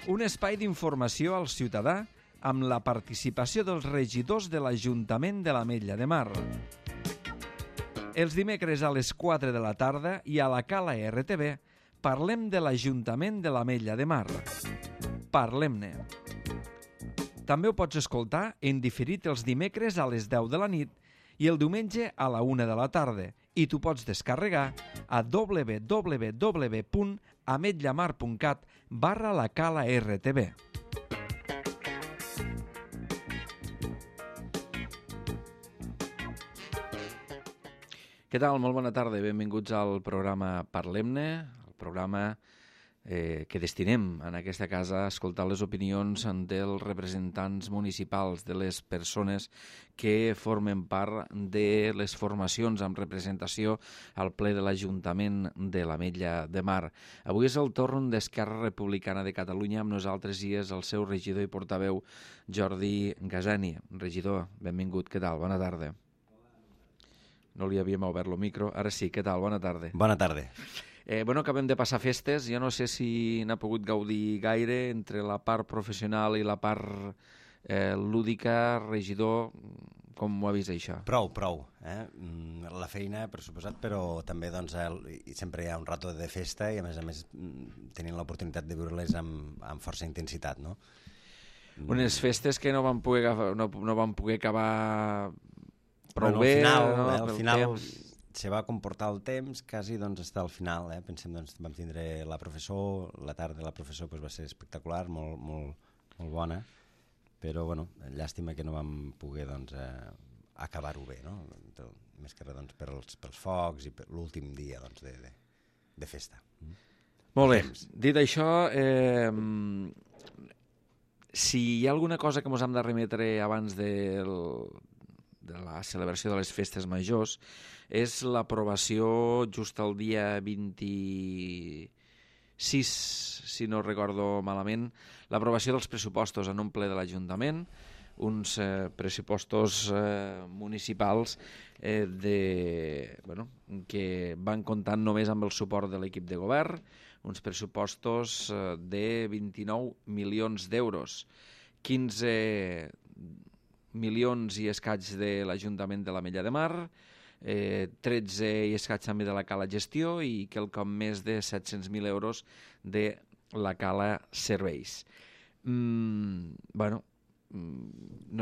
Un espai d'informació al ciutadà amb la participació dels regidors de l'Ajuntament de l'Ametlla de Mar. Els dimecres a les 4 de la tarda i a la Cala RTV parlem de l'Ajuntament de l'Ametlla de Mar. Parlem-ne. També ho pots escoltar en diferit els dimecres a les 10 de la nit i el diumenge a la 1 de la tarda i t'ho pots descarregar a www.ametllamar.cat/la Cala RTV. Què tal? Molt bona tarda. Benvinguts al programa Parlem-ne, el programa que destinem en aquesta casa a escoltar les opinions dels representants municipals, de les persones que formen part de les formacions amb representació al ple de l'Ajuntament de l'Ametlla de Mar. Avui és el torn d'Esquerra Republicana de Catalunya, amb nosaltres i és el seu regidor i portaveu Jordi Gasani. Regidor, benvingut, què tal? Bona tarda. No li havíem obert el micro, ara sí, què tal? Bona tarda. Bona tarda. Acabem de passar festes, jo no sé si n'ha pogut gaudir gaire entre la part professional i la part lúdica, regidor, com ho ha vist això? Prou. La feina, per suposat, però també doncs, sempre hi ha un rato de festa i a més tenint l'oportunitat de viure-les amb força intensitat, no? Unes festes que no van poder acabar prou bé. Al final se va comportar el temps quasi està al final. Pensem, vam tindre la professor, la tarda de la professor va ser espectacular, molt bona, però llàstima que no vam poder acabar-ho bé, no? Més que res pels focs i per l'últim dia de festa. Molt bé, dit això, si hi ha alguna cosa que ens hem de remetre abans de la celebració de les festes majors, és l'aprovació just el dia 26, si no recordo malament, l'aprovació dels pressupostos en un ple de l'Ajuntament, uns pressupostos municipals que van comptant només amb el suport de l'equip de govern, uns pressupostos de 29 milions d'euros, 15 milions i escaig de l'Ajuntament de l'Ametlla de Mar, 13 i escaig també de la Cala Gestió i quelcom més de 700.000 euros de la Cala Serveis. No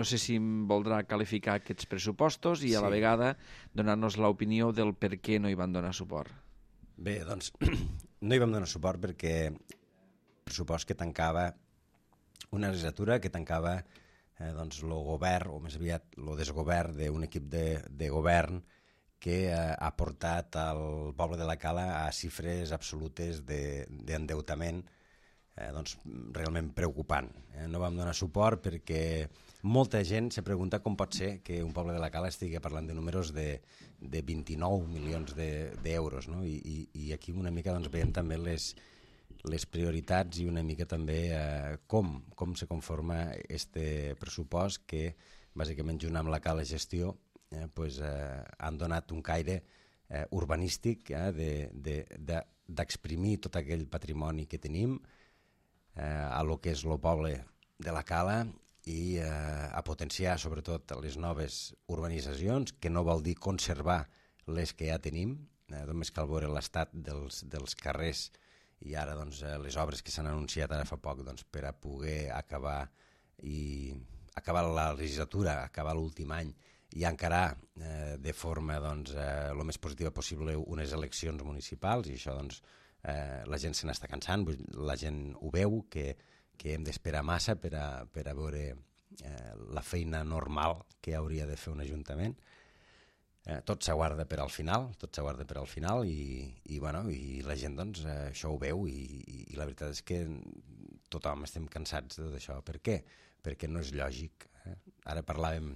sé si em voldrà qualificar aquests pressupostos i a la vegada donar-nos l'opinió del per què no hi van donar suport. Bé, no hi vam donar suport perquè el pressupost que tancava una legislatura, que tancava el govern, o més aviat el desgovern d'un equip de govern que ha portat el poble de la Cala a xifres absolutes d'endeutament realment preocupant. No vam donar suport perquè molta gent se pregunta com pot ser que un poble de la Cala estigui parlant de números de 29 milions d'euros, no? I aquí una mica veiem també les prioritats i una mica també com se conforma este pressupost que bàsicament junt amb la Cala Gestió han donat un caire urbanístic d'exprimir tot aquell patrimoni que tenim a lo que és el poble de la Cala i a potenciar sobretot les noves urbanitzacions, que no vol dir conservar les que ja tenim, només cal veure l'estat dels carrers i ara les obres que s'han anunciat ara fa poc per a poder acabar la legislatura, acabar l'últim any i encarar de forma el més positiva possible unes eleccions municipals, i això la gent se n'està cansant, la gent ho veu, que hem d'esperar massa per a veure la feina normal que hauria de fer un ajuntament. Tot s'aguarda per al final, i la gent això ho veu i la veritat és que tothom estem cansats de tot això. Per què? Perquè no és lògic. Ara parlàvem,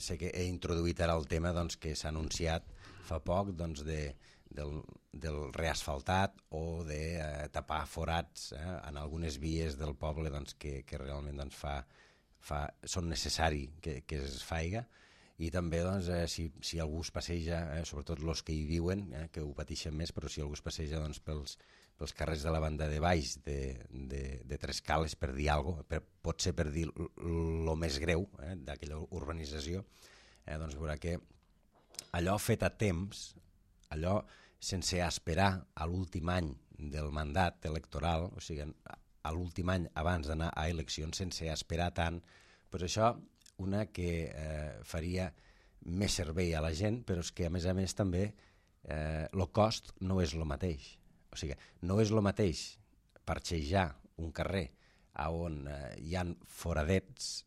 sé que he introduït ara el tema que s'ha anunciat fa poc del reasfaltat o de tapar forats en algunes vies del poble que realment són necessari que es faiga. I també si algú es passeja, sobretot els que hi viuen, que ho pateixen més, però si algú es passeja pels carrers de la banda de baix de Tres Cales, per dir alguna cosa, potser per dir el més greu d'aquella urbanització, doncs veurà que allò fet a temps, allò sense esperar a l'últim any del mandat electoral, o sigui, a l'últim any abans d'anar a eleccions, sense esperar tant, doncs això, una que faria més servei a la gent, però és que a més també el cost no és el mateix. O sigui, no és el mateix parxejar un carrer on hi ha foradets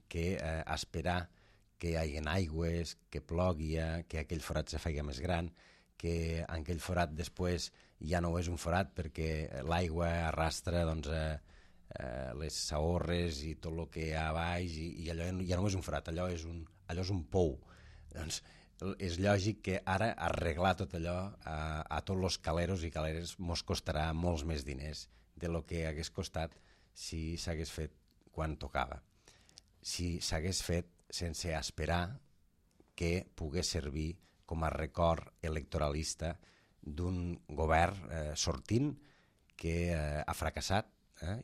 que esperar que hi hagi aigües, que plogui, que aquell forat se faci més gran, que en aquell forat després ja no és un forat perquè l'aigua arrastra les saorres i tot el que hi ha a baix i allò ja no és un forat, allò és un pou. Doncs és lògic que ara arreglar tot allò a tots els caleros i caleres mos costarà molts més diners de lo que hagués costat si s'hagués fet quan tocava. Si s'hagués fet sense esperar que pogués servir com a record electoralista d'un govern sortint que ha fracassat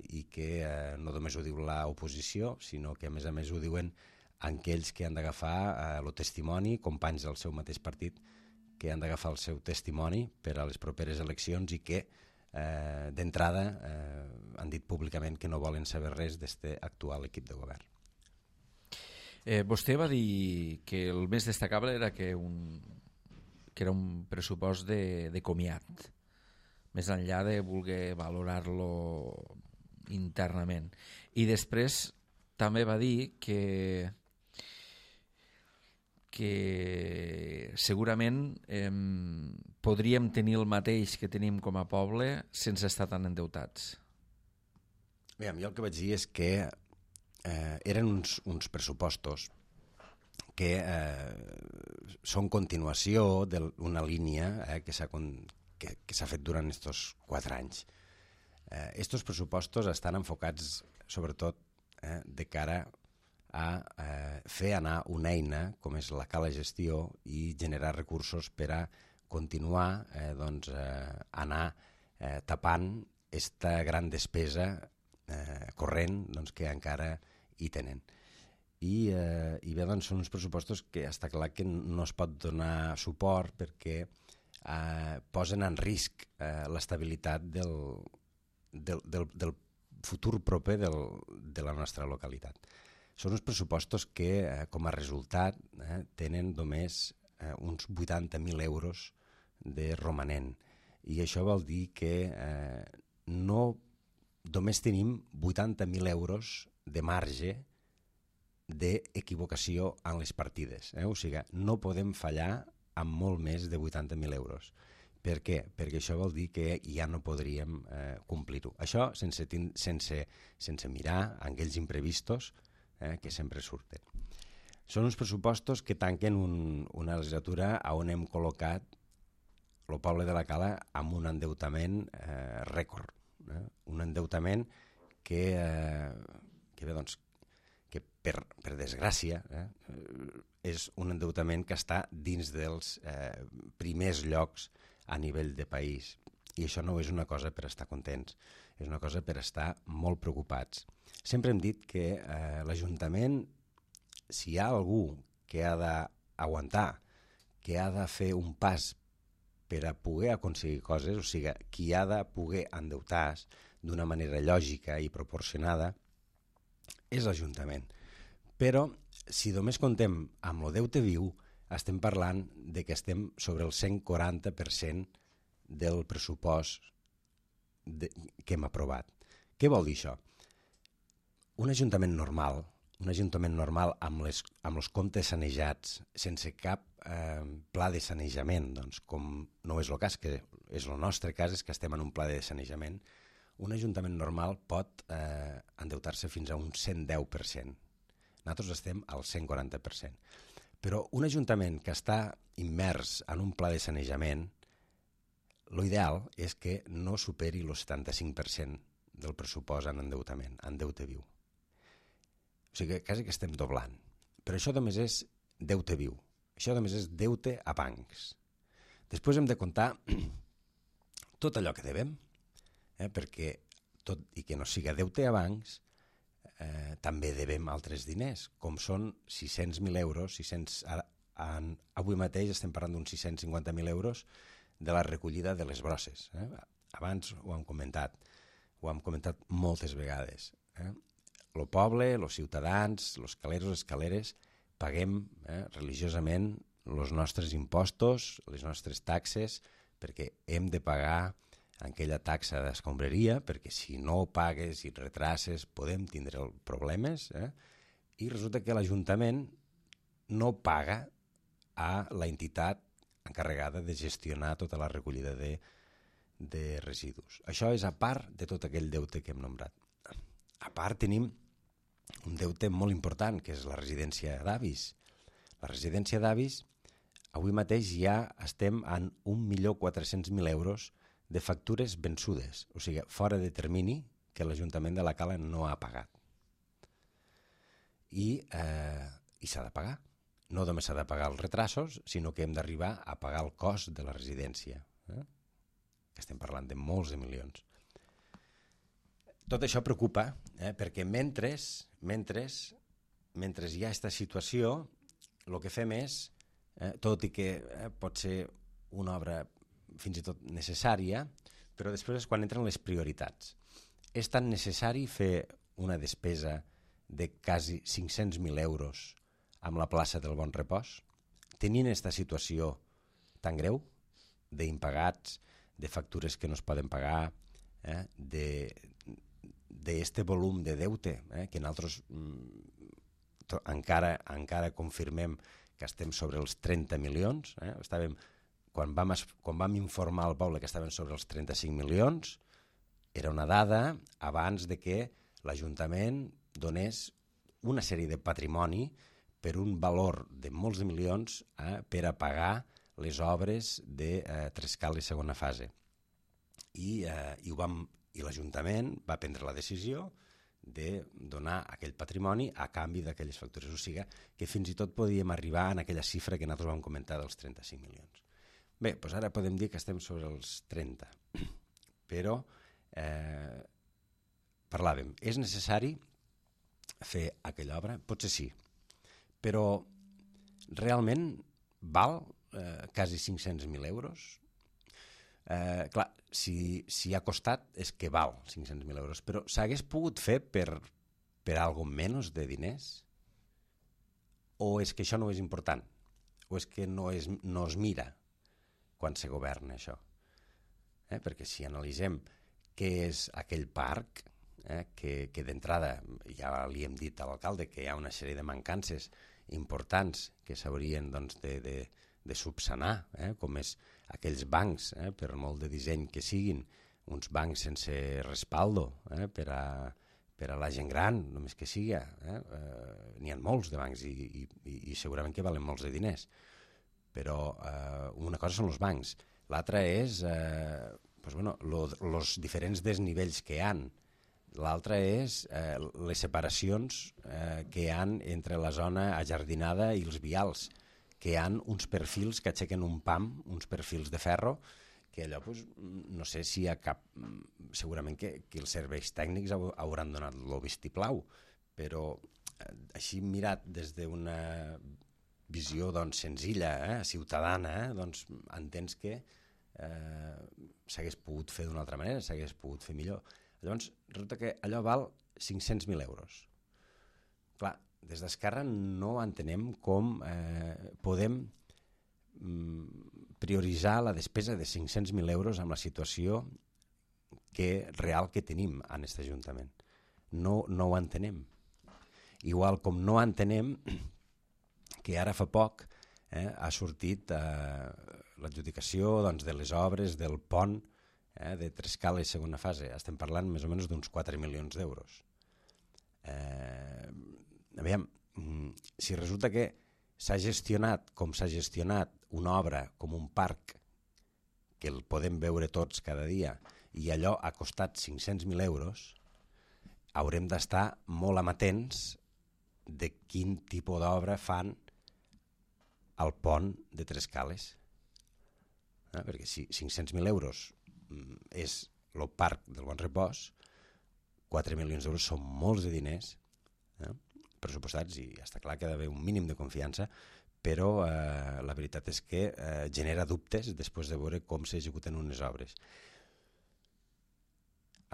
i que no només ho diu l'oposició, sinó que a més ho diuen aquells que han d'agafar el testimoni, companys del seu mateix partit, que han d'agafar el seu testimoni per a les properes eleccions i que d'entrada han dit públicament que no volen saber res d'aquest actual equip de govern. Vostè va dir que el més destacable era que era un pressupost de comiat, més enllà de voler valorar-lo internament. I després també va dir que segurament podríem tenir el mateix que tenim com a poble sense estar tan endeutats. Bé, jo el que vaig dir és que eren uns pressupostos que són continuació d'una línia que s'ha fet durant aquests 4 anys. Estos pressupostos estan enfocats sobretot de cara a fer anar una eina com és la Cala Gestió i generar recursos per a continuar anar tapant aquesta gran despesa corrent que encara hi tenen. I bé, són uns pressupostos que està clar que no es pot donar suport perquè posen en risc l'estabilitat del futur proper de la nostra localitat. Són uns pressupostos que, com a resultat, tenen només uns 80.000 euros de romanent. I això vol dir que només tenim 80.000 euros de marge d'equivocació en les partides. O sigui, no podem fallar amb molt més de 80.000 euros. Per què? Perquè això vol dir que ja no podríem complir-ho. Això sense mirar aquells imprevistos que sempre surten. Són uns pressupostos que tanquen una legislatura on hem col·locat el poble de la Cala amb un endeutament rècord. Un endeutament que per desgràcia és un endeutament que està dins dels primers llocs a nivell de país. I això no és una cosa per estar contents, és una cosa per estar molt preocupats. Sempre hem dit que l'Ajuntament, si hi ha algú que ha d'aguantar, que ha de fer un pas per a poder aconseguir coses, o sigui, qui ha de poder endeutar-se d'una manera lògica i proporcionada, és l'Ajuntament. Però, si només contem amb el deute viu, estem parlant de que estem sobre el 140% del pressupost que hem aprovat. Què vol dir això? Un ajuntament normal amb els comptes sanejats, sense cap pla de sanejament, doncs, com no és el cas, que és el nostre cas, és que estem en un pla de sanejament, un ajuntament normal pot endeutar-se fins a un 110%. Nosaltres estem al 140%. Però un ajuntament que està immers en un pla de sanejament, l'ideal és que no superi el 75% del pressupost en endeutament, en deute viu. O sigui, quasi que estem doblant. Però això només és deute viu. Això només és deute a bancs. Després hem de comptar tot allò que devem, perquè tot i que no siga deute a bancs, també devem altres diners, com són 600.000 euros, avui mateix estem parlant d'uns 650.000 euros de la recollida de les brosses. Abans ho hem comentat moltes vegades. El poble, els ciutadans, els caleros, les caleres, paguem religiosament els nostres impostos, les nostres taxes, perquè hem de pagar aquella taxa d'escombraria, perquè si no ho pagues i retrases podem tindre problemes, i resulta que l'Ajuntament no paga a la entitat encarregada de gestionar tota la recollida de residus. Això és a part de tot aquell deute que hem nombrat. A part tenim un deute molt important, que és la residència d'avis. La residència d'avis, avui mateix ja estem en 1.400.000 euros de factures vençudes, o sigui, fora de termini que l'Ajuntament de la Cala no ha pagat. I s'ha de pagar. No només s'ha de pagar els retrasos, sinó que hem d'arribar a pagar el cost de la residència. Que estem parlant de molts de milions. Tot això preocupa, perquè mentre hi ha aquesta situació, el que fem és, tot i que pot ser una obra fins i tot necessària, però després és quan entren les prioritats. És tan necessari fer una despesa de quasi 500.000 euros amb la plaça del Bon Repòs? Tenint aquesta situació tan greu d'impagats, de factures que no es poden pagar, d'este volum de deute, que nosaltres encara confirmem que estem sobre els 30 milions. Quan vam informar al poble que estaven sobre els 35 milions, era una dada abans de que l'Ajuntament donés una sèrie de patrimoni per un valor de molts de milions per a pagar les obres de Trescal i segona fase. I l'Ajuntament va prendre la decisió de donar aquell patrimoni a canvi d'aquelles factures. O sigui que fins i tot podíem arribar en aquella xifra que nosaltres vam comentar dels 35 milions. Bé, doncs ara podem dir que estem sobre els 30, però parlàvem, és necessari fer aquella obra? Potser sí, però realment val quasi 500.000 euros? Clar, si ha costat és que val 500.000 euros, però s'hagués pogut fer per algo menys de diners? O és que això no és important? O és que no es mira quan se governa això? Perquè si analitzem què és aquell parc, que d'entrada ja li hem dit a l'alcalde que hi ha una sèrie de mancances importants que s'haurien de subsanar, com és aquells bancs, per molt de disseny que siguin, uns bancs sense respaldo per a la gent gran, només que siga. N'hi ha molts de bancs i segurament que valen molts de diners. Però una cosa són els bancs, l'altra és els diferents desnivells que hi ha. L'altra és les separacions que hi ha entre la zona ajardinada i els vials, que hi ha uns perfils que aixequen un pam, uns perfils de ferro, que allò, no sé si hi ha cap... Segurament que els serveis tècnics hauran donat el vistiplau, però així mirat des d'una visió senzilla, ciutadana, entens que s'hagués pogut fer d'una altra manera, s'hagués pogut fer millor. Llavors, resulta que allò val 500.000 euros. Clar, des d'Esquerra no entenem com podem prioritzar la despesa de 500.000 euros amb la situació real que tenim en aquest Ajuntament. No ho entenem. Igual com no entenem que ara fa poc ha sortit l'adjudicació de les obres del pont de Trescal i segona fase. Estem parlant més o menys d'uns 4 milions d'euros. Aviam, si resulta que s'ha gestionat com s'ha gestionat una obra com un parc, que el podem veure tots cada dia, i allò ha costat 500.000 euros, haurem d'estar molt amatents de quin tipus d'obra fan al pont de Trescales. Perquè si 500.000 euros és el parc del Bon Repòs, 4 milions d'euros són molts de diners pressupostats, i està clar que ha d'haver un mínim de confiança, però la veritat és que genera dubtes després de veure com s'executen unes obres.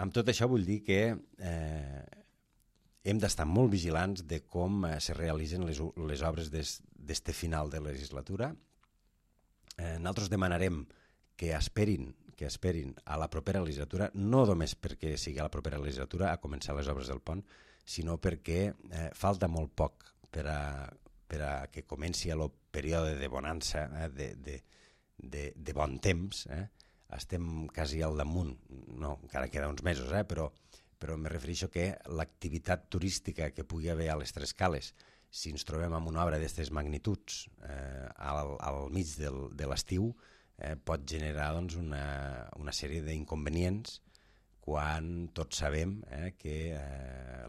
Amb tot això vull dir que hem d'estar molt vigilants de com se realitzen les obres d'este final de legislatura. Nosaltres demanarem que esperin a la propera legislatura, no només perquè sigui a la propera legislatura a començar les obres del pont, sinó perquè falta molt poc per a que comenci el període de bonança, de bon temps. Estem quasi al damunt, no, encara queda uns mesos, però me refereixo que l'activitat turística que pugui haver a les Tres Cales, si ens trobem amb una obra d'aquestes magnituds al mig de l'estiu, pot generar doncs, una sèrie d'inconvenients quan tots sabem que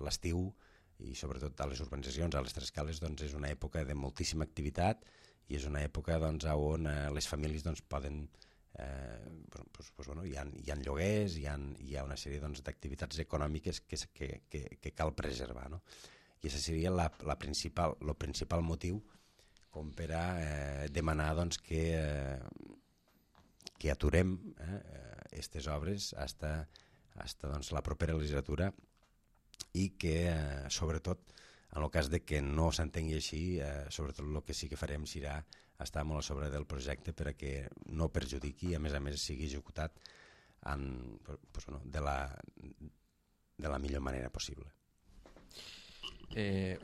l'estiu, i sobretot a les urbanitzacions, a les Tres Cales, doncs, és una època de moltíssima activitat i és una època doncs, on les famílies doncs, poden... hi ha lloguers, hi ha una sèrie doncs, d'activitats econòmiques que cal preservar, no? I aquest seria el principal motiu com per a demanar doncs, que aturem aquestes obres fins doncs, la propera legislatura, i que sobretot en el cas de que no s'entengui així, sobretot el que sí que farem serà estar molt a sobre del projecte per a que no perjudiqui i a més sigui executat de la millor manera possible.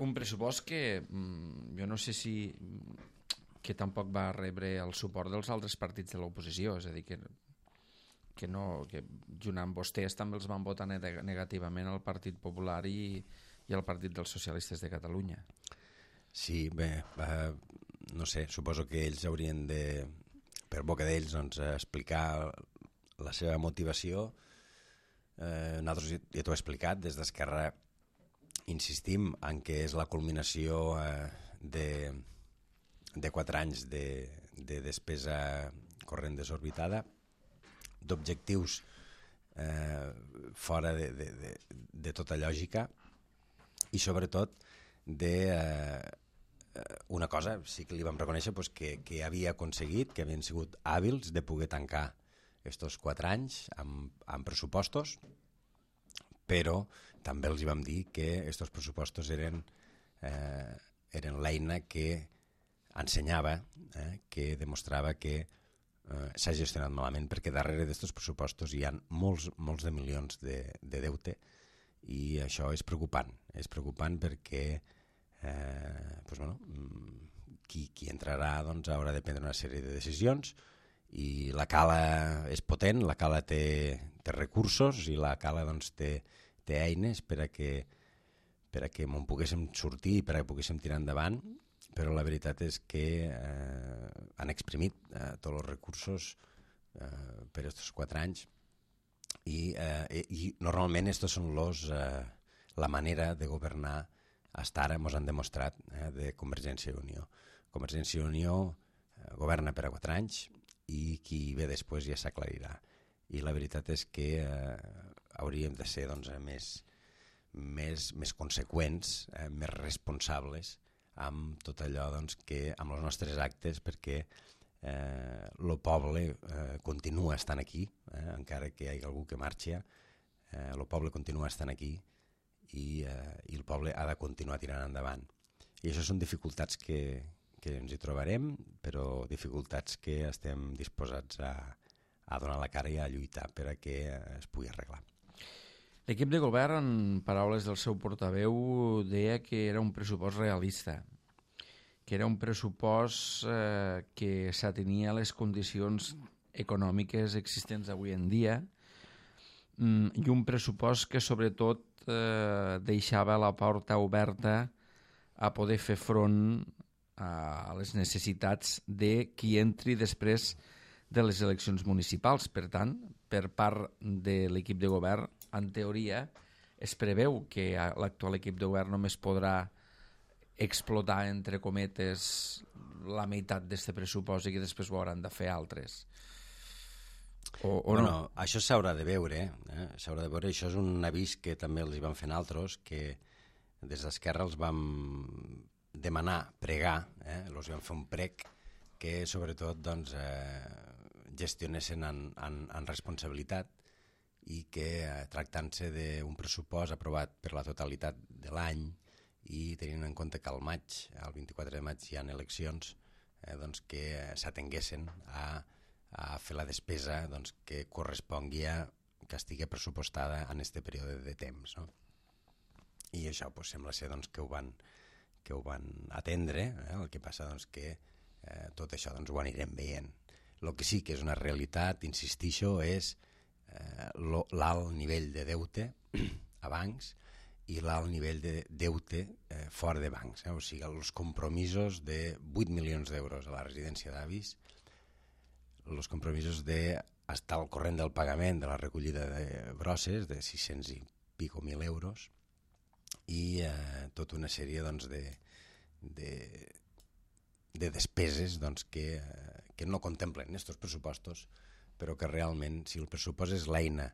Un pressupost que jo no sé si que tampoc va rebre el suport dels altres partits de l'oposició, és a dir, que junt amb vostès també els van votar negativament el Partit Popular i el Partit dels Socialistes de Catalunya. Sí, bé, no sé, suposo que ells haurien de, per boca d'ells, doncs, explicar la seva motivació. Nosaltres ja t'ho he explicat, des d'Esquerra insistim en que és la culminació de 4 anys de despesa corrent desorbitada, d'objectius fora de tota lògica, i sobretot una cosa sí que li vam reconèixer, doncs, que havia aconseguit, que havien sigut hàbils de poder tancar aquests 4 anys amb pressupostos, però també els vam dir que aquests pressupostos eren l'eina que ensenyava, que demostrava que s'ha gestionat malament, perquè darrere d'aquests pressupostos hi ha molts de milions de deute, i això és preocupant perquè qui entrarà doncs, haurà de prendre una sèrie de decisions, i la Cala és potent, la Cala té recursos, i la Cala doncs, té eines per a que me'n poguéssim sortir i per a que poguéssim tirar endavant, però la veritat és que han exprimit tots els recursos per aquests 4 anys, i normalment aquests són la manera de governar hasta ara ens han demostrat de Convergència i Unió. Convergència i Unió governa per a 4 anys i qui ve després ja s'aclarirà. I la veritat és que hauríem de ser doncs, més conseqüents, més responsables amb tot allò doncs, que amb els nostres actes, perquè el poble continua estant aquí, encara que hi hagi algú que marxa, el poble continua estant aquí, i el poble ha de continuar tirant endavant. I això són dificultats que ens hi trobarem, però dificultats que estem disposats a donar la cara i a lluitar per a que es pugui arreglar. L'equip de govern, en paraules del seu portaveu, deia que era un pressupost realista, que era un pressupost que s'atenia a les condicions econòmiques existents avui en dia, i un pressupost que sobretot deixava la porta oberta a poder fer front a les necessitats de qui entri després de les eleccions municipals. Per tant, per part de l'equip de govern, en teoria, es preveu que l'actual equip de govern només podrà explotar, entre cometes, la meitat d'aquest pressupost i que després ho hauran de fer altres. o no? Això s'haurà de veure, s'haurà de veure. Això és un avís que també els hi van fent altres, que des d'Esquerra els vam demanar, pregar, els vam fer un prec que sobretot doncs, gestionessin en responsabilitat i que tractant-se d'un pressupost aprovat per la totalitat de l'any i tenint en compte que al maig, el 24 de maig hi ha eleccions, doncs que s'atenguessin a fer la despesa doncs, que correspongui que estigui pressupostada en aquest període de temps, no? I això doncs, sembla ser doncs, que ho van atendre, el que passa doncs, que tot això doncs, ho anirem veient. El que sí que és una realitat, insistixo, és l'alt nivell de deute a bancs i l'alt nivell de deute fora de bancs. O sigui, els compromisos de 8 milions d'euros a la residència d'avis, els compromisos d'estar al corrent del pagament de la recollida de brosses de 600 i pico mil euros i tota una sèrie doncs, de despeses doncs, que no contemplen aquests pressupostos, però que realment, si el pressupost és l'eina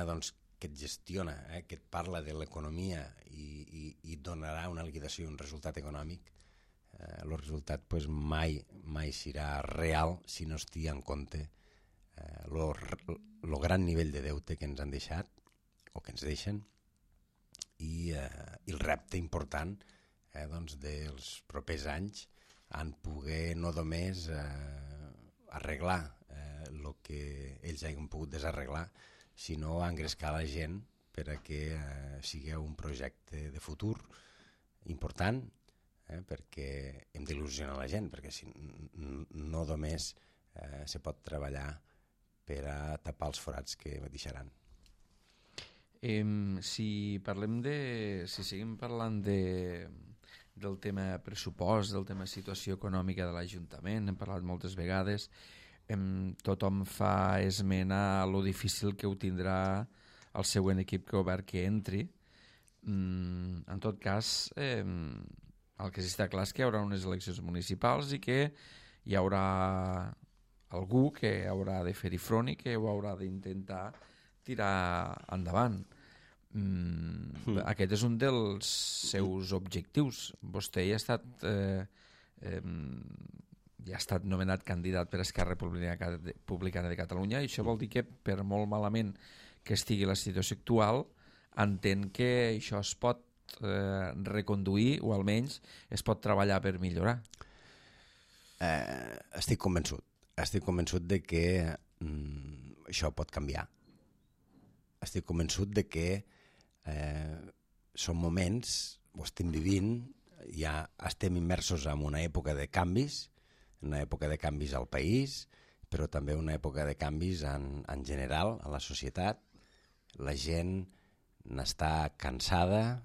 doncs, que et gestiona, que et parla de l'economia i donarà una liquidació i un resultat econòmic, el resultat pues, mai serà real si no es té en compte el gran nivell de deute que ens han deixat o que ens deixen i el repte important doncs, dels propers anys en poder no només arreglar el que ells hagin pogut desarreglar, sinó engrescar la gent per a que sigui un projecte de futur important, perquè hem d'il·lusionar la gent, perquè si no només se pot treballar per a tapar els forats que deixaran. Si seguim parlant del tema pressupost, del tema situació econòmica de l'Ajuntament, hem parlat moltes vegades, tothom fa esmena a lo difícil que ho tindrà el següent equip govern que entri. En tot cas, el que sí està clar és que hi haurà unes eleccions municipals i que hi haurà algú que haurà de fer-hi front i que ho haurà d'intentar tirar endavant. Aquest és un dels seus objectius. Vostè ja ha estat nomenat candidat per Esquerra Republicana de Catalunya i això vol dir que per molt malament que estigui la situació actual entén que això es pot reconduir o almenys es pot treballar per millorar. Estic convençut de que això pot canviar. Estic convençut de que són moments, ho estem vivint, ja estem immersos en una època de canvis, una època de canvis al país, però també una època de canvis en general a la societat. La gent n'està cansada,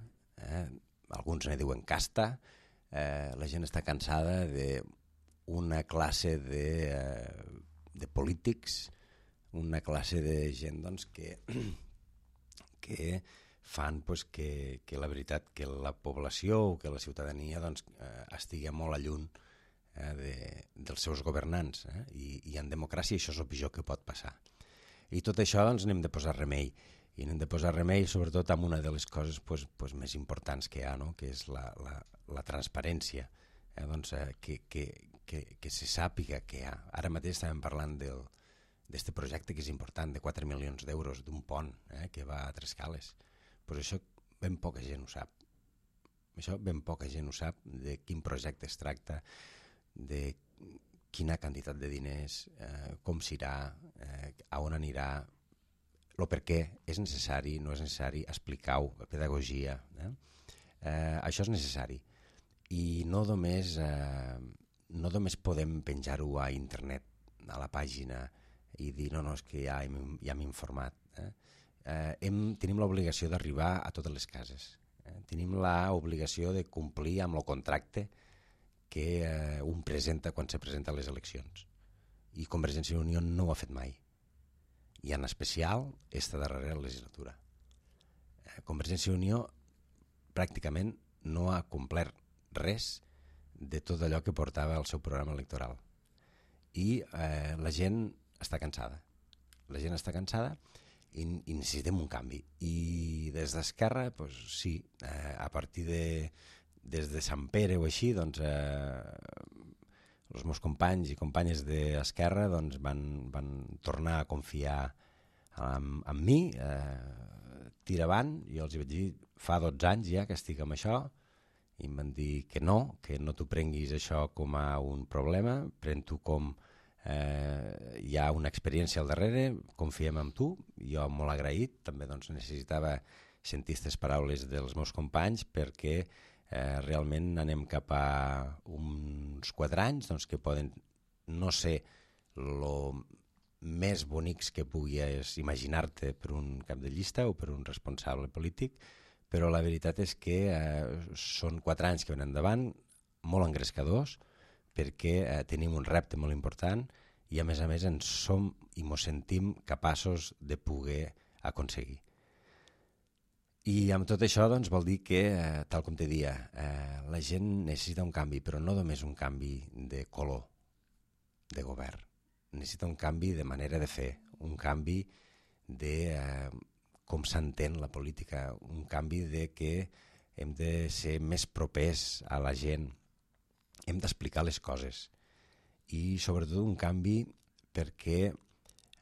alguns ne diuen casta, la gent està cansada d'una classe de polítics, una classe de gent doncs, que fan pues, que la veritat que la població o que la ciutadania doncs, estigui molt lluny dels seus governants, i en democràcia això és el pitjor que pot passar. I tot això doncs, n'hem de posar remei, i n'hem de posar remei sobretot amb una de les coses pues, més importants que hi ha, no? Que és la transparència, doncs, que se sàpiga que hi ha. Ara mateix estàvem parlant d'aquest projecte que és important, de 4 milions d'euros d'un pont que va a Trescales. Pues això ben poca gent ho sap. Això ben poca gent ho sap, de quin projecte es tracta, de quina quantitat de diners, com s'irà, a on anirà, el per què és necessari, no és necessari, explicar-ho, pedagogia. Això és necessari. I no només podem penjar-ho a internet, a la pàgina, i dir, no, és que ja m'he informat. Tenim l'obligació d'arribar a totes les cases. Tenim l'obligació de complir amb el contracte que un presenta quan se presenta a les eleccions. I Convergència i Unió no ho ha fet mai. I en especial esta darrera legislatura. Convergència i Unió pràcticament no ha complert res de tot allò que portava al seu programa electoral. i la gent està cansada. La gent està cansada i necessitem un canvi. I des d'Esquerra, doncs, sí, a partir des de Sant Pere o així, doncs, els meus companys i companyes d'Esquerra doncs, van tornar a confiar en mi, tira avant. Jo els vaig dir, fa 12 anys ja que estic amb això, i em van dir que no t'ho prenguis això com a un problema, pren-t'ho com hi ha una experiència al darrere, confiem en tu. Jo molt agraït, també doncs, necessitava sentir aquestes paraules dels meus companys perquè realment anem cap a uns 4 anys doncs, que poden no ser el més bonics que puguis imaginar-te per un cap de llista o per un responsable polític, però la veritat és que són 4 anys que venen endavant, molt engrescadors, perquè tenim un repte molt important i a més ens som i ens sentim capaços de poder aconseguir. I amb tot això doncs, vol dir que, tal com te dia, la gent necessita un canvi, però no només un canvi de color de govern. Necessita un canvi de manera de fer, un canvi de com s'entén la política, un canvi de que hem de ser més propers a la gent, hem d'explicar les coses i sobretot un canvi perquè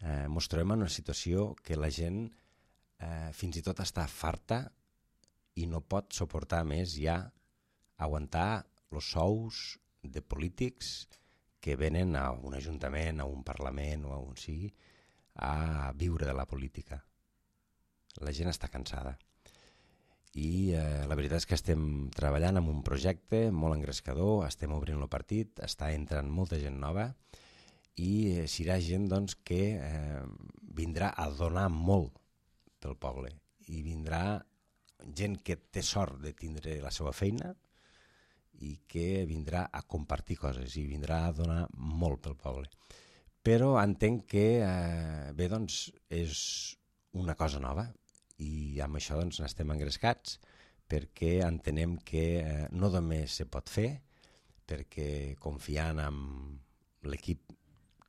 ens trobem en una situació que la gent fins i tot està farta i no pot suportar més ja aguantar els sous de polítics que venen a un ajuntament, a un parlament o a on sigui a viure de la política. La gent està cansada. I la veritat és que estem treballant en un projecte molt engrescador, estem obrint el partit, està entrant molta gent nova i serà gent doncs, que vindrà a donar molt pel poble i vindrà gent que té sort de tindre la seva feina i que vindrà a compartir coses i vindrà a donar molt pel poble. Però entenc que bé, doncs, és una cosa nova i amb això doncs, n'estem engrescats perquè entenem que no només se pot fer, perquè confiant en l'equip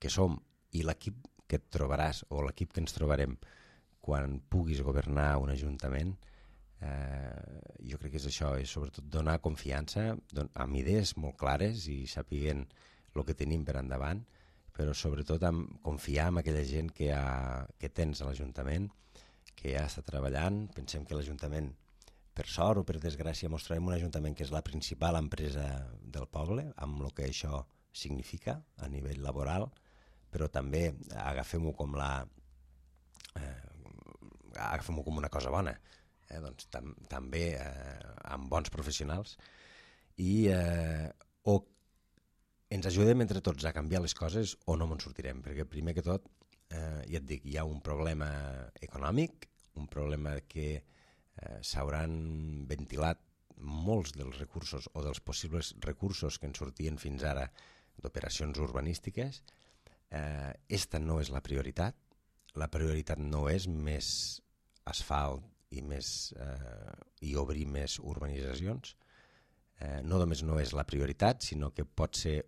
que som i l'equip que et trobaràs o l'equip que ens trobarem quan puguis governar un ajuntament, jo crec que és això, és sobretot donar confiança amb idees molt clares i sapiguent el que tenim per endavant, però sobretot confiar en aquella gent que tens a l'Ajuntament, que ja està treballant. Pensem que l'Ajuntament, per sort o per desgràcia, mostrarem un Ajuntament que és la principal empresa del poble, amb el que això significa a nivell laboral, però també agafem-ho com una cosa bona, doncs, també amb bons professionals i o ens ajudem entre tots a canviar les coses o no ens sortirem, perquè primer que tot ja et dic, hi ha un problema econòmic, un problema que s'hauran ventilat molts dels recursos o dels possibles recursos que ens sortien fins ara d'operacions urbanístiques. Esta no és la prioritat. La prioritat no és més asfalt i obrir més urbanitzacions. No només no és la prioritat, sinó que pot ser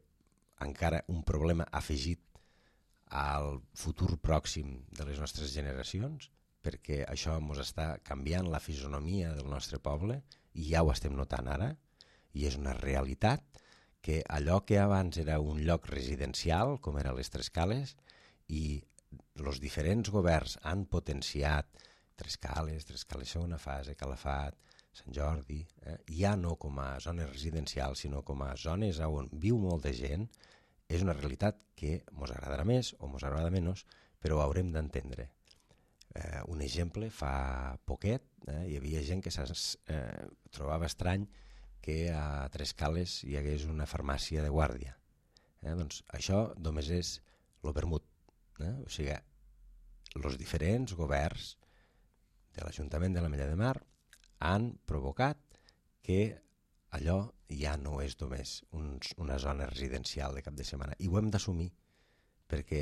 encara un problema afegit al futur pròxim de les nostres generacions, perquè això ens està canviant la fisonomia del nostre poble i ja ho estem notant ara, i és una realitat que allò que abans era un lloc residencial, com era les Trescales, i els diferents governs han potenciat Trescales segona fase, Calafat, Sant Jordi, ja no com a zones residencials, sinó com a zones on viu molta gent, és una realitat que ens agradarà més o ens agradarà menys, però ho haurem d'entendre. Un exemple, fa poquet hi havia gent que trobava estrany que a Trescales hi hagués una farmàcia de guàrdia. Doncs això només és el vermut. O sigui, els diferents governs de l'Ajuntament de l'Ametlla de Mar han provocat que allò ja no és només una zona residencial de cap de setmana. I ho hem d'assumir, perquè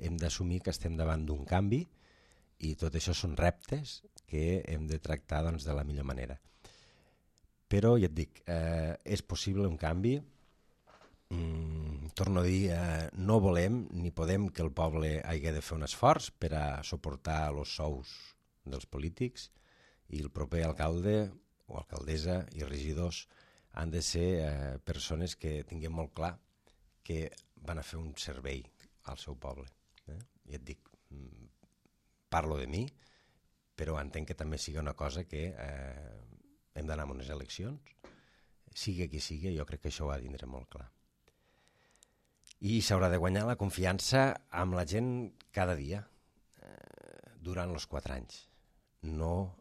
hem d'assumir que estem davant d'un canvi i tot això són reptes que hem de tractar doncs, de la millor manera. Però ja et dic, és possible un canvi Torno a dir, no volem ni podem que el poble hagi de fer un esforç per a suportar els sous dels polítics, i el proper alcalde o alcaldessa i regidors han de ser persones que tinguin molt clar que van a fer un servei al seu poble. I et dic, parlo de mi, però entenc que també sigui una cosa que hem d'anar a unes eleccions, sigui qui sigui, jo crec que això ho ha de tindre molt clar. I s'haurà de guanyar la confiança amb la gent cada dia, durant els 4 anys. No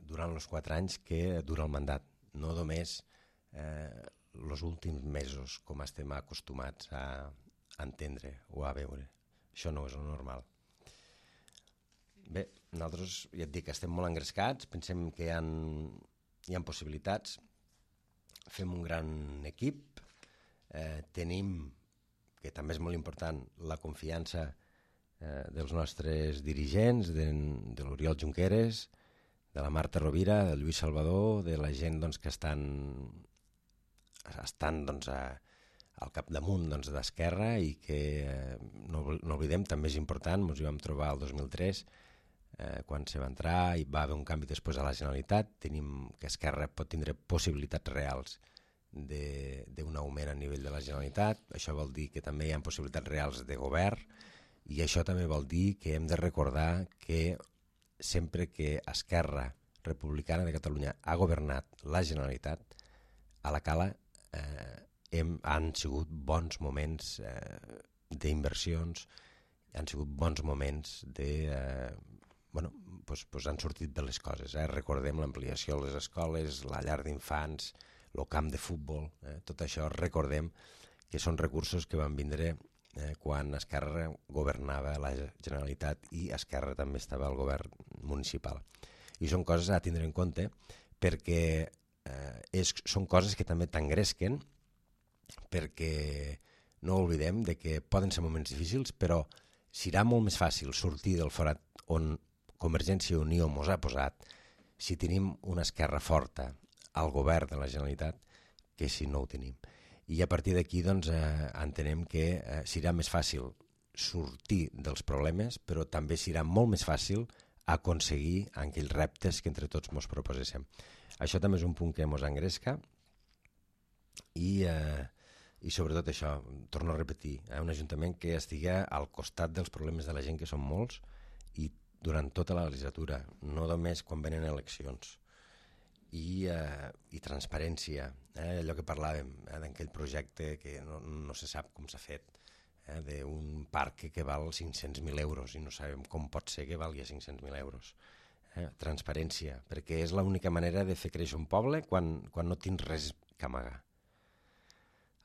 durant els 4 anys que dura el mandat, no només els últims mesos, com estem acostumats a entendre o a veure. Això no és el normal. Bé, nosaltres, ja et dic, estem molt engrescats, pensem que hi ha possibilitats, fem un gran equip, tenim, que també és molt important, la confiança dels nostres dirigents, de l'Oriol Junqueras, de la Marta Rovira, del Lluís Salvador, de la gent que estan al capdamunt d'Esquerra, i que no oblidem, també és important, ens hi vam trobar el 2003, quan se va entrar i va haver un canvi després a la Generalitat. Tenim que Esquerra pot tindre possibilitats reals d'un augment a nivell de la Generalitat. Això vol dir que també hi ha possibilitats reals de govern, i això també vol dir que hem de recordar que sempre que Esquerra Republicana de Catalunya ha governat la Generalitat, a la Cala han sigut bons moments d'inversions, han sigut bons moments han sortit de les coses. Recordem l'ampliació de les escoles, la llar d'infants, el camp de futbol, tot això recordem que són recursos que van vindre quan Esquerra governava la Generalitat i Esquerra també estava al govern municipal. I són coses a tindre en compte, perquè són coses que també t'engresquen, perquè no oblidem que poden ser moments difícils, però serà molt més fàcil sortir del forat on Convergència i Unió mos ha posat si tenim una Esquerra forta al govern de la Generalitat que si no ho tenim. I a partir d'aquí entenem que serà més fàcil sortir dels problemes, però també serà molt més fàcil aconseguir aquells reptes que entre tots ens proposem. Això també és un punt que ens engresca, i sobretot això, torno a repetir, un ajuntament que estigui al costat dels problemes de la gent, que són molts, i durant tota la legislatura, no només quan venen eleccions. I transparència, allò que parlàvem, d'aquell projecte que no se sap com s'ha fet, d'un parc que val 500.000 euros i no sabem com pot ser que valgui 500.000 euros. Transparència, perquè és l'única manera de fer créixer un poble quan no tens res que amagar.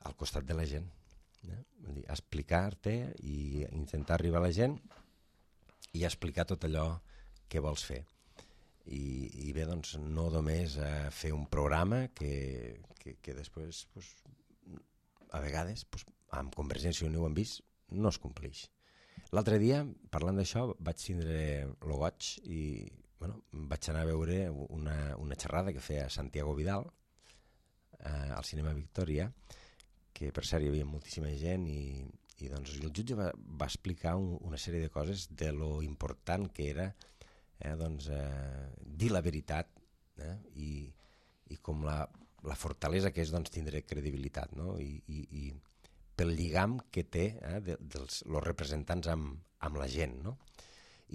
Al costat de la gent. Explicar-te i intentar arribar a la gent i explicar tot allò que vols fer. I bé, no només fer un programa que després, a vegades, amb Convergència i Unió ho hem vist, no es compleix. L'altre dia, parlant d'això, vaig tindre el goig i vaig anar a veure una xerrada que feia Santiago Vidal al Cinema Victòria, que per cert hi havia moltíssima gent, i el jutge va explicar una sèrie de coses de lo important que era dir la veritat, i com la fortalesa que és tindre credibilitat, i pel lligam que té els representants amb la gent,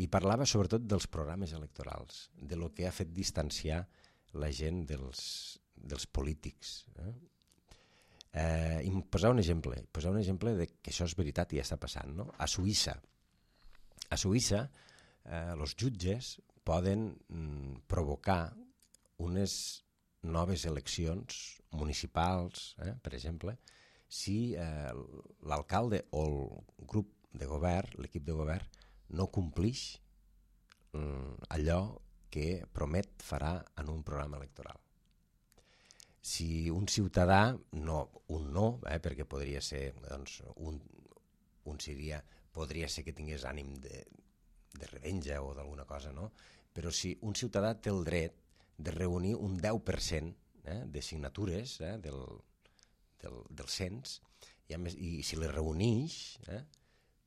i parlava sobretot dels programes electorals, de lo que ha fet distanciar la gent dels polítics. I posar un exemple de que això és veritat i ja està passant. A Suïssa els jutges poden provocar unes noves eleccions municipals, per exemple, si l'alcalde o el grup de govern, l'equip de govern, no complix allò que promet farà en un programa electoral. Si un ciutadà, perquè podria ser, podria ser que tingués ànim de revenja o d'alguna cosa, però si un ciutadà té el dret de reunir un 10% de signatures del cens, i si les reuneix,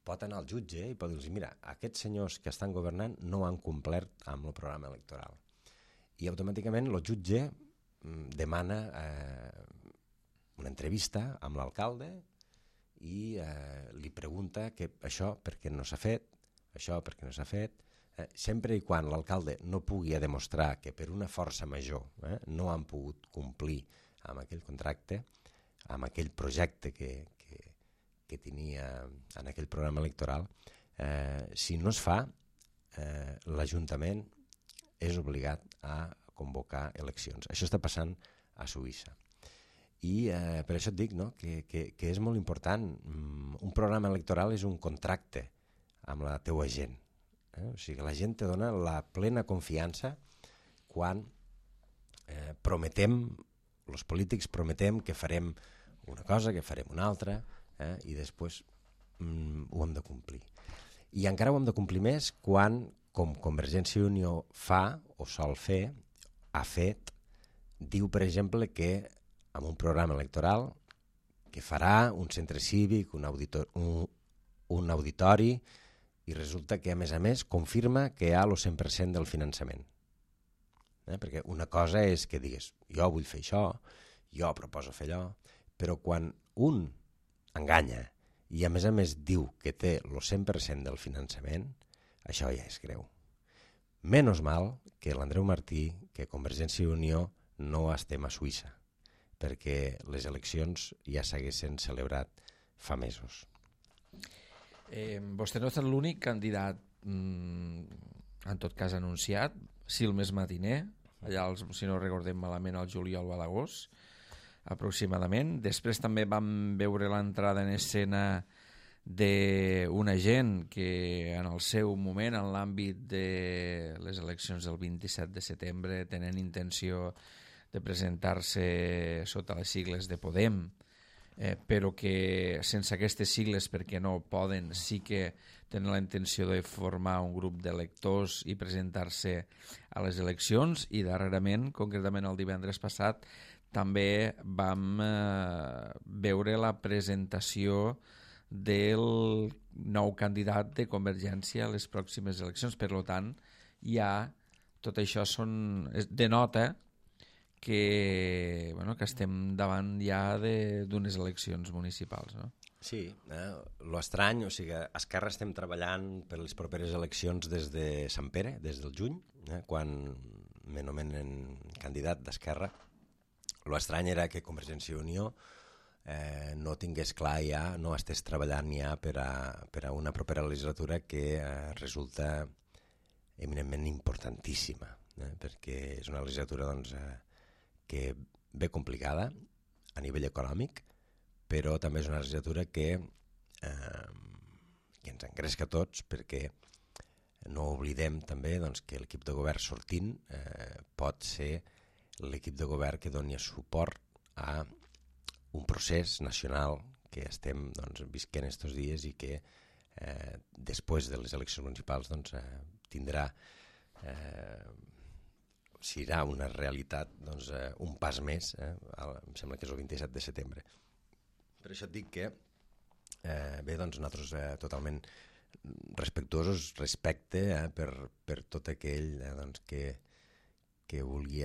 pot anar al jutge i pot dir-los, mira, aquests senyors que estan governant no han complert amb el programa electoral. I automàticament el jutge demana una entrevista amb l'alcalde i li pregunta que això per què no s'ha fet, això per què no s'ha fet, sempre i quan l'alcalde no pugui demostrar que per una força major no han pogut complir amb aquell contracte, amb aquell projecte que tenia en aquell programa electoral, si no es fa, l'Ajuntament és obligat a convocar eleccions. Això està passant a Suïssa. I per això et dic que és molt important. Un programa electoral és un contracte amb la teua gent. O sigui, la gent te dona la plena confiança quan prometem, els polítics prometem que farem una cosa, que farem una altra, i després ho hem de complir. I encara ho hem de complir més quan, com Convergència i Unió fa o sol fer, ha fet, diu, per exemple, que amb un programa electoral que farà un centre cívic, un auditori, i resulta que, a més, confirma que hi ha el 100% del finançament. Perquè una cosa és que digues, jo vull fer això, jo proposo fer allò, però quan un enganya i, a més, diu que té el 100% del finançament, això ja és greu. Menys mal que l'Andreu Martí, que Convergència i Unió no estem a Suïssa, perquè les eleccions ja s'haguessin celebrat fa mesos. Vostè no és l'únic candidat, en tot cas anunciat, sí el més matiner, allà, si no recordem malament, al juliol o a l'agost, aproximadament. Després també vam veure l'entrada en escena d'una gent que en el seu moment, en l'àmbit de les eleccions del 27 de setembre, tenen intenció de presentar-se sota les sigles de Podem, però que sense aquestes sigles, perquè no poden, sí que tenen la intenció de formar un grup d'electors i presentar-se a les eleccions. I darrerament, concretament el divendres passat, també vam veure la presentació del nou candidat de Convergència a les pròximes eleccions. Per tant, ja tot això denota que estem davant ja d'unes eleccions municipals, no? Sí, l'estrany, o sigui, a Esquerra estem treballant per les properes eleccions des de Sant Pere, des del juny, quan me nomenen candidat d'Esquerra. L'estrany era que Convergència i Unió no tingués clar ja, no estés treballant ja per a una propera legislatura que resulta eminentment importantíssima, perquè és una legislatura que ve complicada a nivell econòmic, però també és una legislatura que ens engresca a tots, perquè no oblidem també que l'equip de govern sortint pot ser l'equip de govern que doni suport a un procés nacional que estem visquent estos dies i que després de les eleccions municipals tindrà, serà una realitat un pas més, em sembla que és el 27 de setembre. Per això et dic que nosaltres totalment respectuosos respecte per tot aquell que vulgui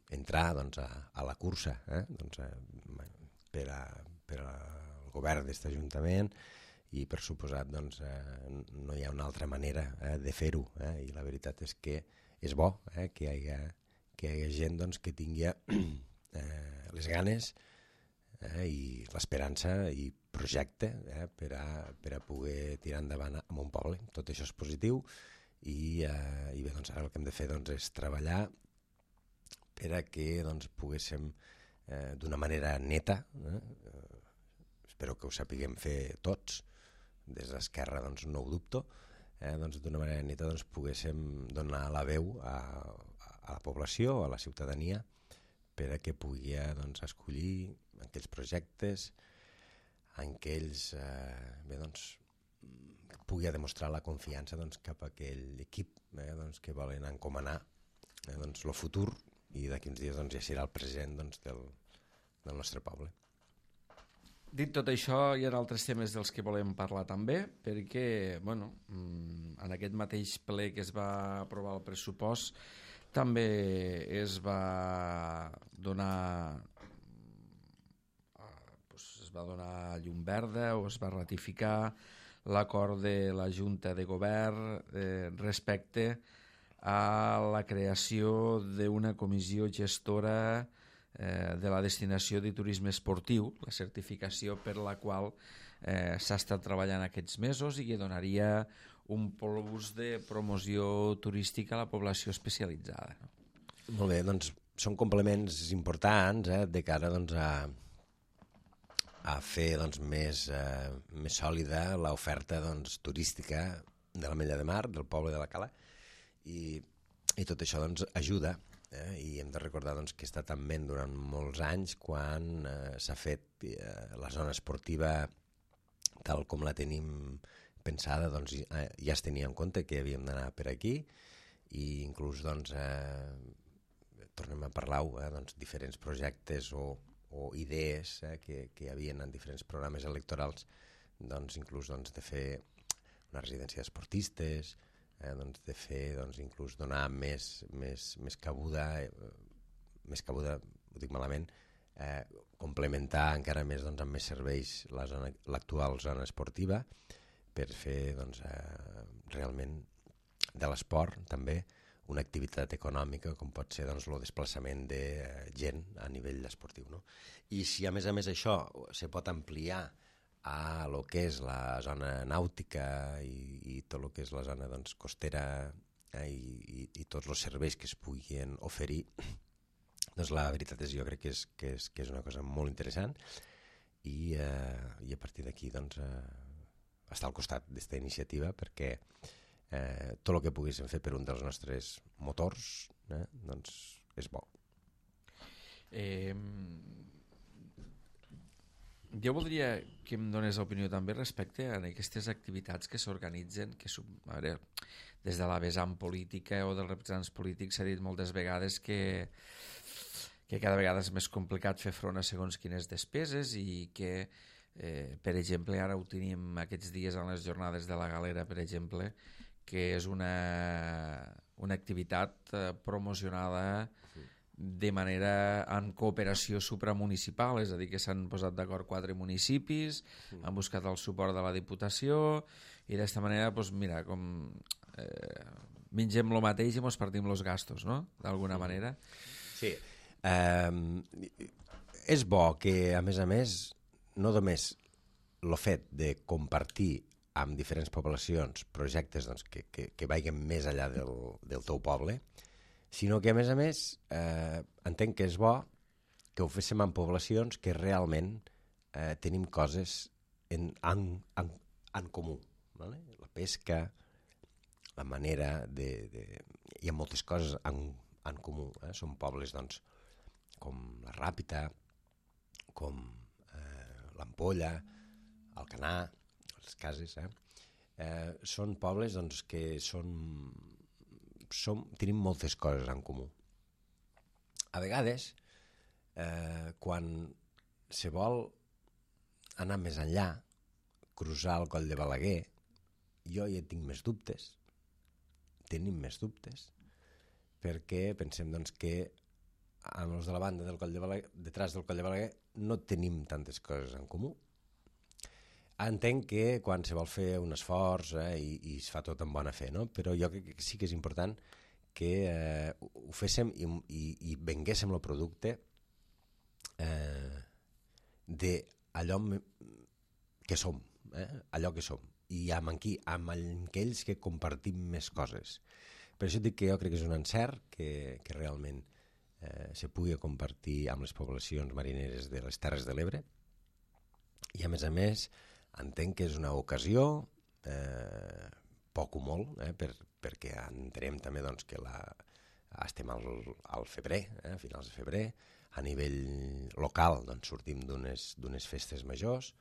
entrar a la cursa per al govern d'aquest Ajuntament, i per suposat no hi ha una altra manera de fer-ho, i la veritat és que és bo que hi hagi gent que tingui les ganes i l'esperança i projecte per a poder tirar endavant amb un poble. Tot això és positiu i bé, ara el que hem de fer és treballar per a que poguéssim d'una manera neta, espero que ho sapiguem fer tots, des d'Esquerra no ho dubto, d'una manera neta poguéssim donar la veu a la població, a la ciutadania, per a que pugui escollir aquells projectes en què ells pugui demostrar la confiança cap a aquell equip que volen encomanar el futur, i d'aquí uns dies ja serà el present del nostre poble. Dit tot això, hi ha altres temes dels que volem parlar també, perquè en aquest mateix ple que es va aprovar el pressupost també es va donar llum verda o es va ratificar l'acord de la Junta de Govern respecte a la creació d'una comissió gestora de la destinació de turisme esportiu, la certificació per la qual s'ha estat treballant aquests mesos i que donaria un plus de promoció turística a la població especialitzada. Molt bé, doncs són complements importants de cara a fer més sòlida l'oferta turística de l'Ametlla de Mar, del poble de la Cala, i tot això ajuda. I hem de recordar que està també durant molts anys quan s'ha fet la zona esportiva tal com la tenim pensada, ja es tenia en compte que havíem d'anar per aquí i inclús tornem a parlar diferents projectes o idees que hi havia en diferents programes electorals, inclús de fer una residència d'esportistes, de fer, inclús donar més cabuda, ho dic malament, complementar encara més amb més serveis l'actual zona esportiva per fer realment de l'esport també una activitat econòmica com pot ser el desplaçament de gent a nivell esportiu. No? I si a més això se pot ampliar a lo que és la zona nàutica i tot el que és la zona costera i tots els serveis que es puguin oferir, la veritat és jo crec que és una cosa molt interessant i a partir d'aquí estar al costat d'esta iniciativa perquè tot el que poguéssim fer per un dels nostres motors és bo. Jo voldria que em donés opinió també respecte a aquestes activitats que s'organitzen, des de la vessant política o dels representants polítics s'ha dit moltes vegades que cada vegada és més complicat fer front a segons quines despeses i que, per exemple, ara ho tenim aquests dies en les jornades de la Galera, per exemple, que és una activitat promocionada de manera en cooperació supramunicipal, és a dir, que s'han posat d'acord 4 municipis, han buscat el suport de la Diputació i d'aquesta manera, mira, com mengem el mateix i ens partim els gastos, no?, d'alguna manera. Sí. És bo que, a més, no només el fet de compartir amb diferents poblacions projectes que vagin més enllà del teu poble, sinó que, a més, entenc que és bo que ho féssim en poblacions que realment tenim coses en comú. ¿Vale? La pesca, la manera hi ha moltes coses en comú. Són pobles com la Ràpita, com l'Ampolla, Alcanar, les Cases. Són pobles que tenim moltes coses en comú. A vegades, quan se vol anar més enllà, cruzar el Coll de Balaguer, jo ja tinc més dubtes, tenim més dubtes, perquè pensem que amb els de la banda del Coll de Balaguer, detrás del Coll de Balaguer, no tenim tantes coses en comú. Entenc que quan se vol fer un esforç i es fa tot amb bona fe, no? Però jo crec que sí que és important que ho féssim i venguéssim el producte d'allò que som, allò que som, i amb aquells que compartim més coses. Per això dic que jo crec que és un encert que realment se pugui compartir amb les poblacions marineres de les Terres de l'Ebre i, a més, entenc que és una ocasió, poc o molt, perquè entenem també que estem al febrer, a finals de febrer, a nivell local sortim d'unes festes majors,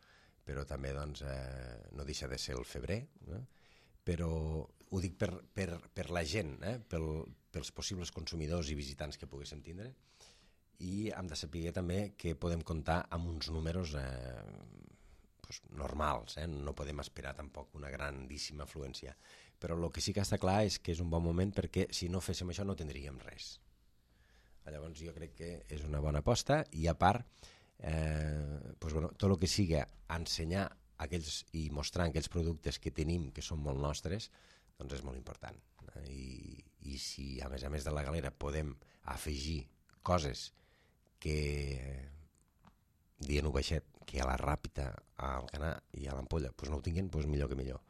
però també no deixa de ser el febrer, però ho dic per la gent, pels possibles consumidors i visitants que poguéssim tindre, i hem de saber també que podem comptar amb uns números normals, no podem esperar tampoc una grandíssima afluència, però el que sí que està clar és que és un bon moment perquè si no féssim això no tindríem res. Llavors jo crec que és una bona aposta i a part tot el que sigui ensenyar aquells i mostrar aquells productes que tenim que són molt nostres, doncs és molt important. I si a més de la galera podem afegir coses que dient-ho baixet, que a la Ràpita, al Canà i a l'Ampolla no ho tinguin, millor que millor.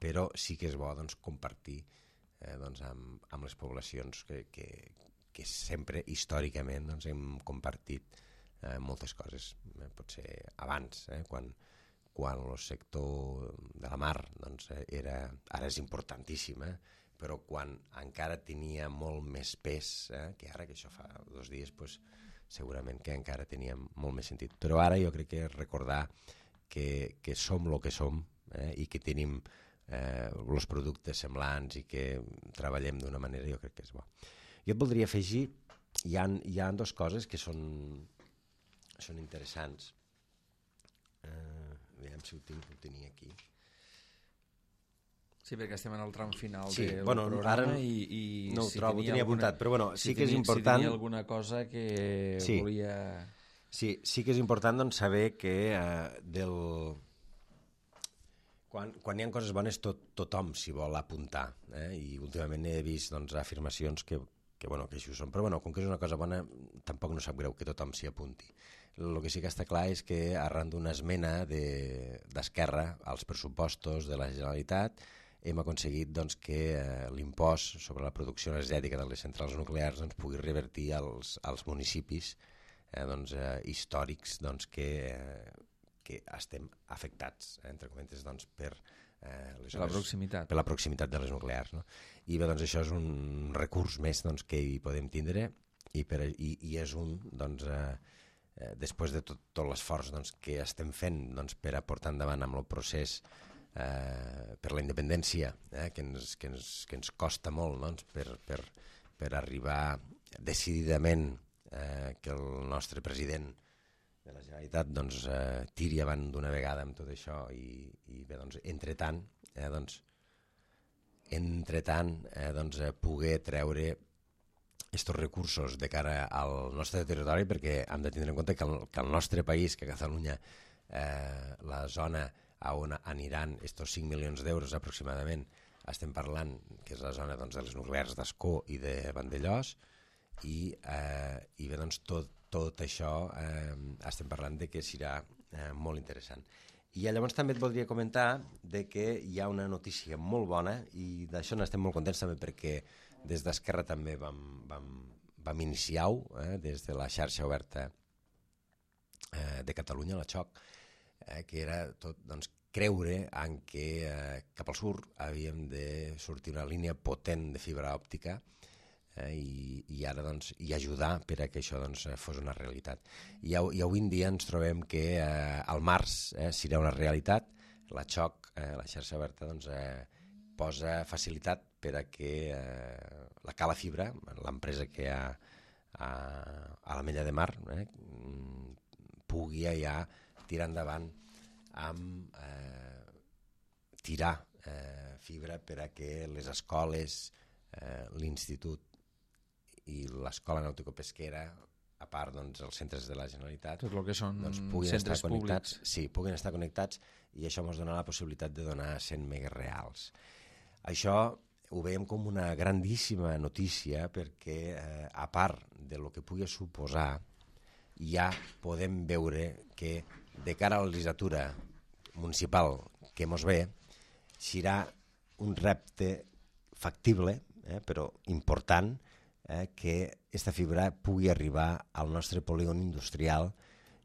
Però sí que és bo compartir amb les poblacions que sempre històricament hem compartit moltes coses. Potser abans, quan el sector de la mar ara és importantíssim, però quan encara tenia molt més pes que ara, que això fa 2 dies, segurament que encara tenia molt més sentit. Però ara jo crec que recordar que som el que som i que tenim els productes semblants i que treballem d'una manera, jo crec que és bo. Jo et voldria afegir, hi ha 2 coses que són interessants. Aviam si ho tenia aquí. Sí, perquè estem en el tram final del programa ara i no ho trobo, ho tenia apuntat, però sí que és important... Si tenia alguna cosa que volia... Sí que és important saber que quan hi ha coses bones tothom s'hi vol apuntar, i últimament he vist afirmacions que així ho són, però com que és una cosa bona tampoc no sap greu que tothom s'hi apunti. El que sí que està clar és que arran d'una esmena d'Esquerra als pressupostos de la Generalitat hem aconseguit que l'impost sobre la producció energètica de les centrals nuclears pugui revertir als municipis històrics que estem afectats, entre cometes, per la proximitat de les nuclears. I bé, això és un recurs més que hi podem tindre i és un, després de tot l'esforç que estem fent per a portar endavant amb el procés per la independència, que ens costa molt per arribar decididament que el nostre president de la Generalitat tiri avant d'una vegada amb tot això i bé, entretant poder treure aquests recursos de cara al nostre territori, perquè hem de tindre en compte que el nostre país, que Catalunya, la zona on aniran aquests 5 milions d'euros aproximadament, estem parlant que és la zona de les nuclears d'Ascó i de Vandellòs, i bé, tot això estem parlant que serà molt interessant. I llavors també et voldria comentar que hi ha una notícia molt bona i d'això n'estem molt contents també perquè des d'Esquerra també vam iniciar-ho, des de la xarxa oberta de Catalunya, la XOC, que era tot creure en que cap al sud havíem de sortir una línia potent de fibra òptica i ara i ajudar per a que això fos una realitat. I avui en dia ens trobem que al març serà una realitat. La XOC, la xarxa oberta, posa facilitat per a que la Cala Fibra, l'empresa que hi ha a l'Ametlla de Mar, pugui ja tirar endavant amb tirar fibra per a que les escoles, l'institut i l'escola nàutico-pesquera, a part els centres de la Generalitat, tot el que són centres públics, puguin estar connectats, i això ens dona la possibilitat de donar 100 megas reals. Això ho veiem com una grandíssima notícia perquè, a part de lo que pugui suposar, ja podem veure que de cara a la legislatura municipal que mos ve, serà un repte factible, però important, que aquesta fibra pugui arribar al nostre polígon industrial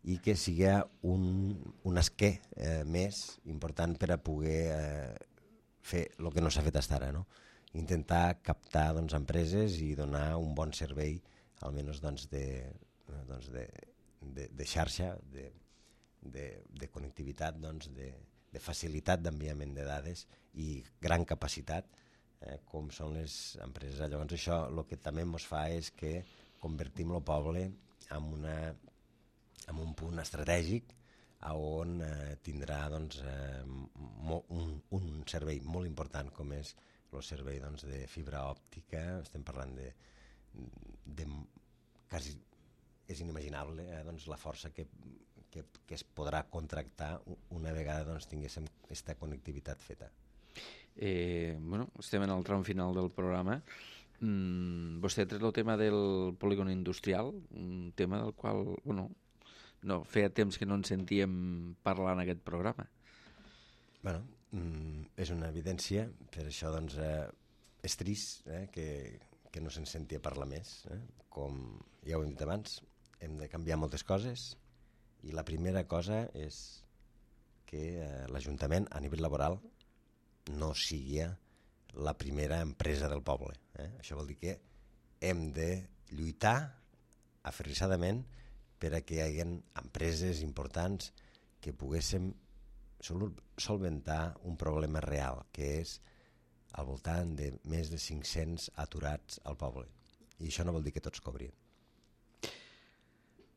i que sigui un esquer més important per a poder fer el que no s'ha fet fins ara, no? Intentar captar empreses i donar un bon servei, almenys de xarxa, de connectivitat, de facilitat d'enviament de dades i gran capacitat, com són les empreses. Llavors això el que també ens fa és que convertim el poble en un punt estratègic on tindrà doncs, un servei molt important com és el servei doncs, de fibra òptica. Estem parlant de quasi és inimaginable doncs, la força que es podrà contractar una vegada doncs, tinguéssim aquesta connectivitat feta. Estem en el tram final del programa. Vostè ha tret el tema del polígon industrial, un tema del qual feia temps que no ens sentíem parlar en aquest programa. És una evidència, per això doncs, és trist que no se'n senti a parlar més. Com ja ho hem dit abans, hem de canviar moltes coses i la primera cosa és que l'Ajuntament a nivell laboral no sigui la primera empresa del poble. Això vol dir que hem de lluitar aferrissadament per a que hi hagi empreses importants que poguéssim solventar un problema real, que és al voltant de més de 500 aturats al poble. I això no vol dir que tots cobrin.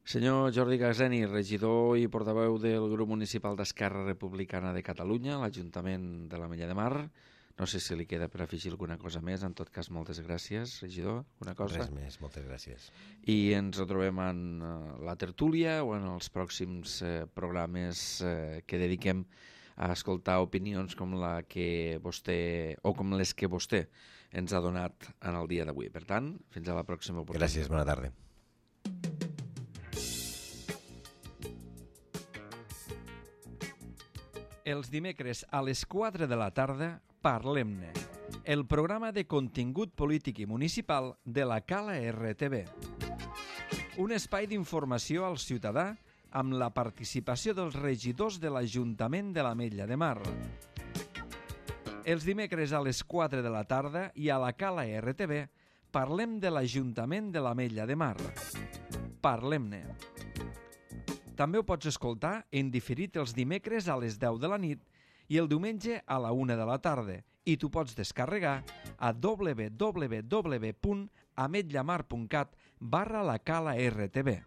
Senyor Jordi Gazzeni, regidor i portaveu del grup municipal d'Esquerra Republicana de Catalunya, l'Ajuntament de l'Ametlla de Mar. No sé si li queda per afegir alguna cosa més. En tot cas, moltes gràcies, regidor. Una cosa? Res més, moltes gràcies. I ens retrobem en la tertúlia o en els pròxims programes que dediquem a escoltar opinions com la que vostè o com les que vostè ens ha donat en el dia d'avui. Per tant, fins a la pròxima oportunitat. Gràcies, bona tarda. Els dimecres a les 4 de la tarda, Parlem-ne, el programa de contingut polític i municipal de la Cala RTV. Un espai d'informació al ciutadà amb la participació dels regidors de l'Ajuntament de l'Ametlla de Mar. Els dimecres a les 4 de la tarda i a la Cala RTV parlem de l'Ajuntament de l'Ametlla de Mar. Parlem-ne. També ho pots escoltar en diferit els dimecres a les 10 de la nit i el diumenge a la 1 de la tarda i t'ho pots descarregar a www.ametllamar.cat/la Cala RTV.